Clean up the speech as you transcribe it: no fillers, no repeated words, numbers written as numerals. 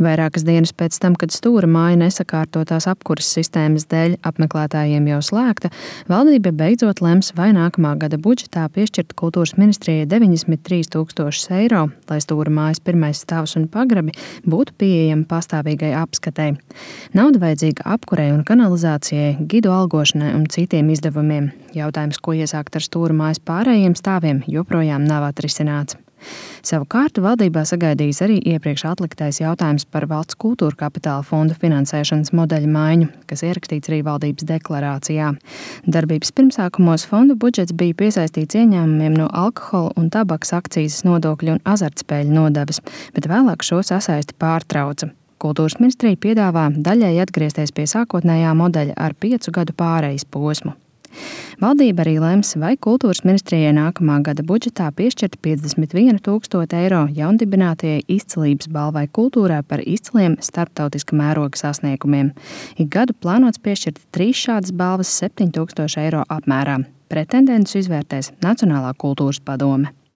Vairākas dienas pēc tam, kad Stūra māja nesakārtotās apkuras sistēmas dēļ apmeklētājiem jau slēgta, valdība beidzot lems, vai nākamā gada budžetā piešķirt kultūras ministrijai 93 000 eiro, lai Stūra mājas pirmais stāvs un pagrabi būtu pieejami pastāvīgai apskatei. Nauda vajadzīga apkurei un kanalizācijai, gidu algošanai un citiem izdevumiem. Jautājums, ko iesākt ar Stūra mājas pārējiem stāviem, joprojām nav atrisināts. Savukārt valdībā sagaidījis arī iepriekš atliktais jautājums par valsts kultūra kapitāla fonda finansēšanas modeļa maiņu, kas ierakstīts arī valdības deklarācijā. Darbības pirmsākumos fonda budžets bija piesaistīts ieņēmumiem no alkohola un tabakas akcīzes nodokļu un azartspēļu nodevas, bet vēlāk šo sasaisti pārtrauca. Kultūras ministrija piedāvā daļai atgriezties pie sākotnējā modeļa ar 5 gadu pārejas posmu. Valdība arī lems, vai kultūras ministrijai nākamā gada budžetā piešķirt 51 000 eiro jaundibinātajai izcilības balvai kultūrā par izciliem starptautiska mēroga sasniegumiem. Ik gadu plānots piešķirt 3 šādas balvas 7 000 eiro apmērā. Pretendentus izvērtēs Nacionālā kultūras padome.